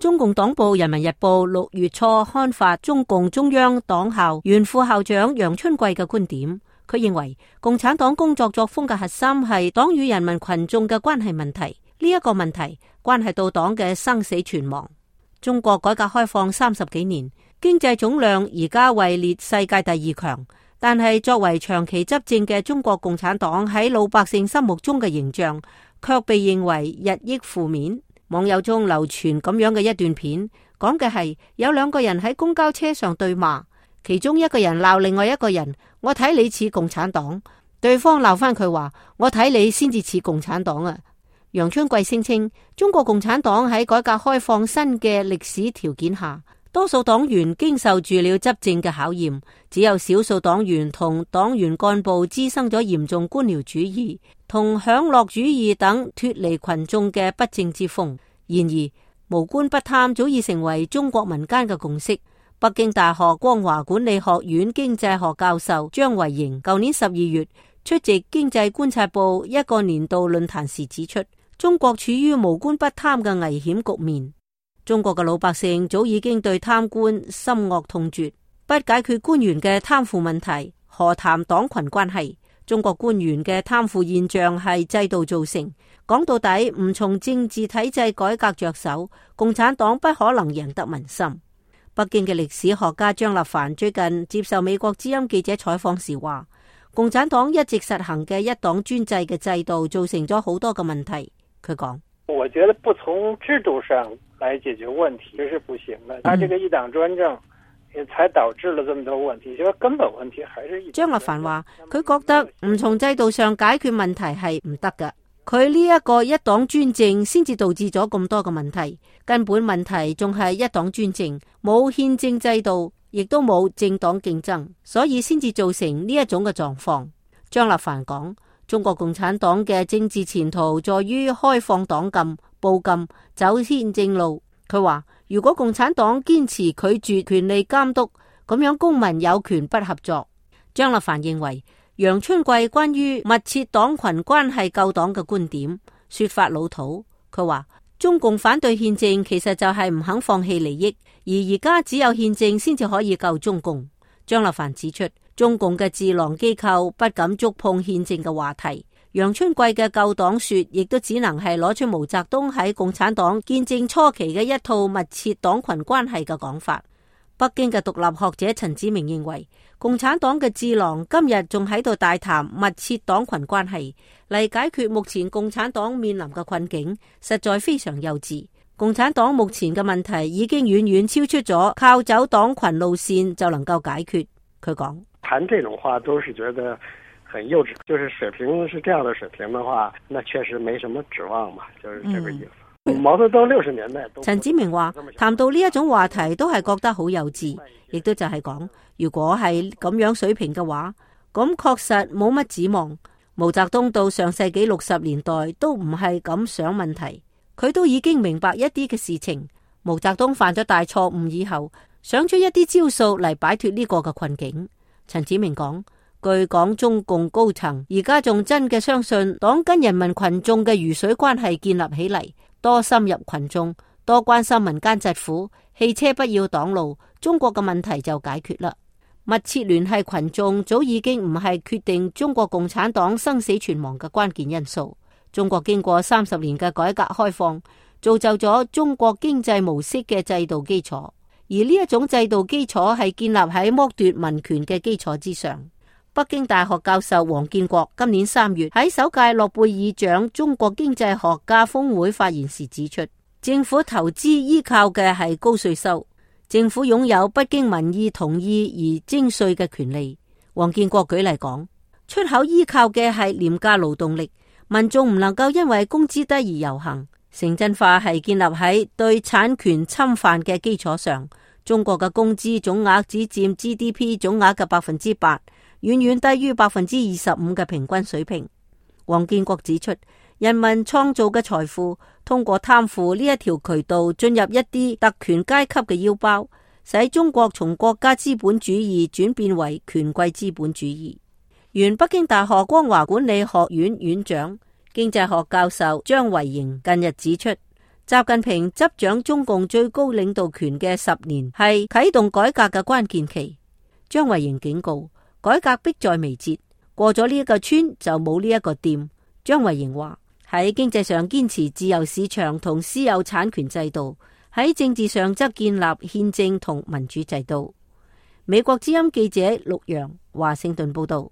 中共黨報《人民日報》6月初刊發中共中央黨校原副校長楊春貴嘅觀點。佢認為共產黨工作作風嘅核心係黨與人民群眾嘅關係問題，呢一個問題關係到黨嘅生死存亡。中國改革開放30幾年，經濟總量而家位列世界第2強，但係作為長期執政嘅中國共產黨喺老百姓心目中嘅形象卻被認為日益負面。網友中流傳咁樣嘅一段片，講嘅係有2個人喺公交車上對罵，其中一個人鬧另外一個人，我睇你似共產黨，對方鬧翻佢話，我睇你先至似共產黨啊。楊春貴聲稱，中國共產黨喺改革開放新嘅歷史條件下，多數黨員經受住了執政嘅考驗，只有少數黨員同黨員幹部滋生咗嚴重官僚主義同享樂主義等脫離群眾嘅不正之風。然而，無官不貪早已成為中國民間嘅共識。北京大學光華管理學院經濟學教授張維迎舊年12月出席經濟觀察報一個年度論壇時指出，中國處於無官不貪嘅危險局面。中國嘅老百姓早已經對貪官深惡痛絕，不解決官員嘅貪腐問題，何談黨群關係？中國官員嘅貪腐現象係制度造成，講到底唔從政治體制改革着手，共產黨不可能贏得民心。北京嘅歷史學家張立凡最近接受美國之音記者採訪時話，共產黨一直實行嘅一黨專制嘅制度造成咗好多嘅問題。佢講，我覺得不從制度上來解決問題這是不行的，他這個一黨專政也才導致了這麼多問題，其實根本問題還是張立凡話，佢覺得唔從制度上解決問題係唔得㗎，佢呢一個一黨專政先至導致咗咁多嘅問題，根本問題仲係一黨專政，冇憲政制度，亦都冇政黨競爭，所以先至造成呢一種嘅狀況。張立凡講，中國共產黨嘅政治前途在於開放黨禁、報禁、走憲政路。佢話，如果共產黨堅持拒絕權力監督，咁樣公民有權不合作。張立凡認為，楊春貴關於密切黨群關係救黨嘅觀點說法老土。佢話，中共反對憲政其實就係唔肯放棄利益，而家只有憲政先至可以救中共。張立凡指出，中共嘅智囊機構不敢觸碰憲政嘅話題，楊春貴嘅救黨說亦都只能係攞出毛澤東喺共產黨建政初期嘅一套密切黨群關係嘅講法。北京嘅獨立學者陳子明認為，共產黨嘅智囊今日仲喺度大談密切黨群關係嚟解決目前共產黨面臨嘅困境，實在非常幼稚。共產黨目前嘅問題已經遠遠超出咗靠走黨群路線就能夠解決。佢講，談這種話都是覺得很幼稚，就是水平是這樣的水平的話，那確實沒什麼指望嘛，就是這個意思。毛澤東60年代，陳子明話，談到呢一種話題都係覺得好幼稚，亦都就係講，如果係咁樣水平嘅話，咁確實冇乜指望。毛澤東到上世紀60年代都唔係咁想問題，佢都已經明白一啲嘅事情。毛澤東犯咗大錯誤以後，想出一啲招數嚟擺脫呢個嘅困境。陳子明講，據講中共高層而家仲真嘅相信黨跟人民群眾嘅魚水關係建立起嚟，多深入群眾，多關心民間疾苦，汽車不要擋路，中國嘅問題就解決啦。密切聯繫群眾早已經唔係決定中國共產黨生死存亡嘅關鍵因素。中國經過30年嘅改革開放，造就咗中國經濟模式嘅制度基礎，而呢一種制度基礎係建立喺剝奪民權嘅基礎之上。北京大學教授王建國今年3月喺首屆諾貝爾獎中國經濟學家峰會發言時指出，政府投資依靠嘅係高稅收，政府擁有不經民意同意而徵稅嘅權利。王建國舉例講，出口依靠嘅係廉價勞動力，民眾唔能夠因為工資低而遊行。城鎮化係建立喺對產權侵犯嘅基礎上，中國嘅工資總額只佔 GDP 總額嘅8%。遠遠低於25%嘅平均水平。王建國指出，人民創造嘅財富通過貪腐呢一條渠道進入一啲特權階級嘅腰包，使中國從國家資本主義轉變為權貴資本主義。原北京大學光華管理學院院長、經濟學教授張維迎近日指出，習近平執掌中共最高領導權嘅10年係啟動改革嘅關鍵期。張慧瑩警告，改革迫在眉睫，過咗呢一個村就冇呢一個店。張慧瑩話，喺經濟上堅持自由市場同私有產權制度，喺政治上則建立憲政同民主制度。美國之音記者陸洋華盛頓報道。